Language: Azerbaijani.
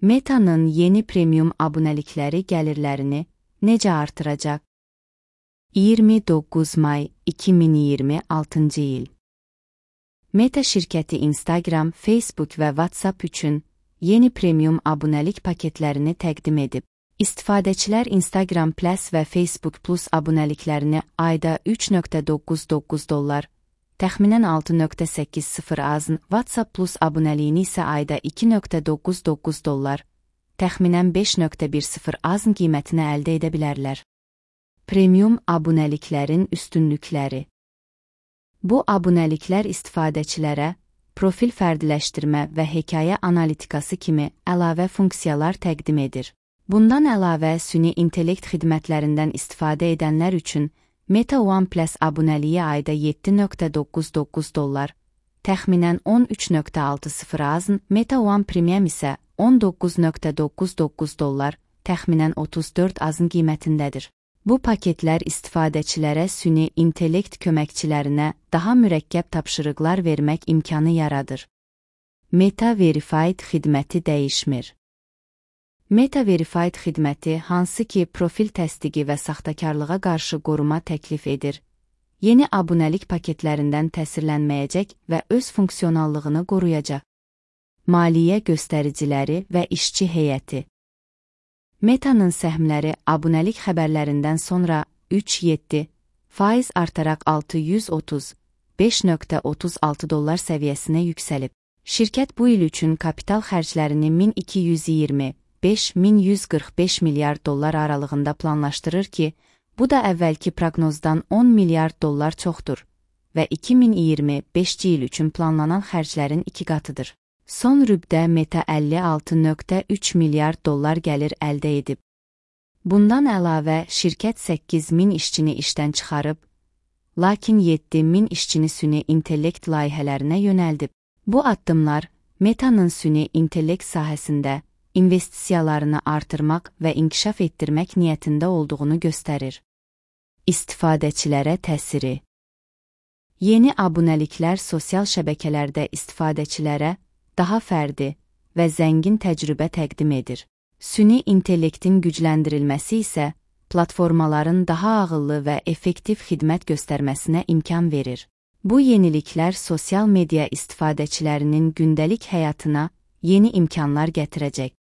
Meta'nın yeni premium abunəlikləri gəlirlərini necə artıracaq? 29 may 2026 il. Meta şirkəti Instagram, Facebook və WhatsApp üçün yeni premium abunəlik paketlərini təqdim edib. İstifadəçilər Instagram Plus və Facebook Plus abunəliklərini ayda $3.99, təxminən 6.80 azın, WhatsApp Plus abunəliyini isə ayda $2.99, təxminən 5.10 azın qiymətinə əldə edə bilərlər. Premium abunəliklərin üstünlükləri. Bu abunəliklər istifadəçilərə profil fərdiləşdirmə və hekayə analitikası kimi əlavə funksiyalar təqdim edir. Bundan əlavə, süni intellekt xidmətlərindən istifadə edənlər üçün Meta One Plus abunəliyi ayda $7.99, təxminən 13.60 azın, Meta One Premium isə $19.99, təxminən 34 azın qiymətindədir. Bu paketlər istifadəçilərə süni intellekt köməkçilərinə daha mürəkkəb tapşırıqlar vermək imkanı yaradır. Meta Verified xidməti dəyişmir. Meta Verified xidməti, hansı ki profil təsdiqi və saxtakarlığa qarşı qoruma təklif edir, yeni abunəlik paketlərindən təsirlənməyəcək və öz funksionallığını qoruyacaq. Maliyyə göstəriciləri və işçi heyəti. Meta'nın səhmləri abunəlik xəbərlərindən sonra 3,7% artaraq $635.36 səviyyəsinə yüksəlib. Şirkət bu il üçün kapital xərclərini $1225-1145 milyard aralığında planlaşdırır ki, bu da əvvəlki proqnozdan $10 milyard çoxdur və 2025 il üçün planlanan xərclərin 2 qatıdır. Son rübdə Meta $56.3 milyard gəlir əldə edib. Bundan əlavə, şirkət 8.000 işçini işdən çıxarıb, lakin 7.000 işçini süni intellekt layihələrinə yönəldib. Bu addımlar Meta'nın süni intellekt sahəsində investisiyalarını artırmaq və inkişaf etdirmək niyyətində olduğunu göstərir. İstifadəçilərə təsiri. Yeni abunəliklər sosial şəbəkələrdə istifadəçilərə daha fərdi və zəngin təcrübə təqdim edir. Süni intellektin gücləndirilməsi isə platformaların daha ağıllı və effektiv xidmət göstərməsinə imkan verir. Bu yeniliklər sosial media istifadəçilərinin gündəlik həyatına yeni imkanlar gətirəcək.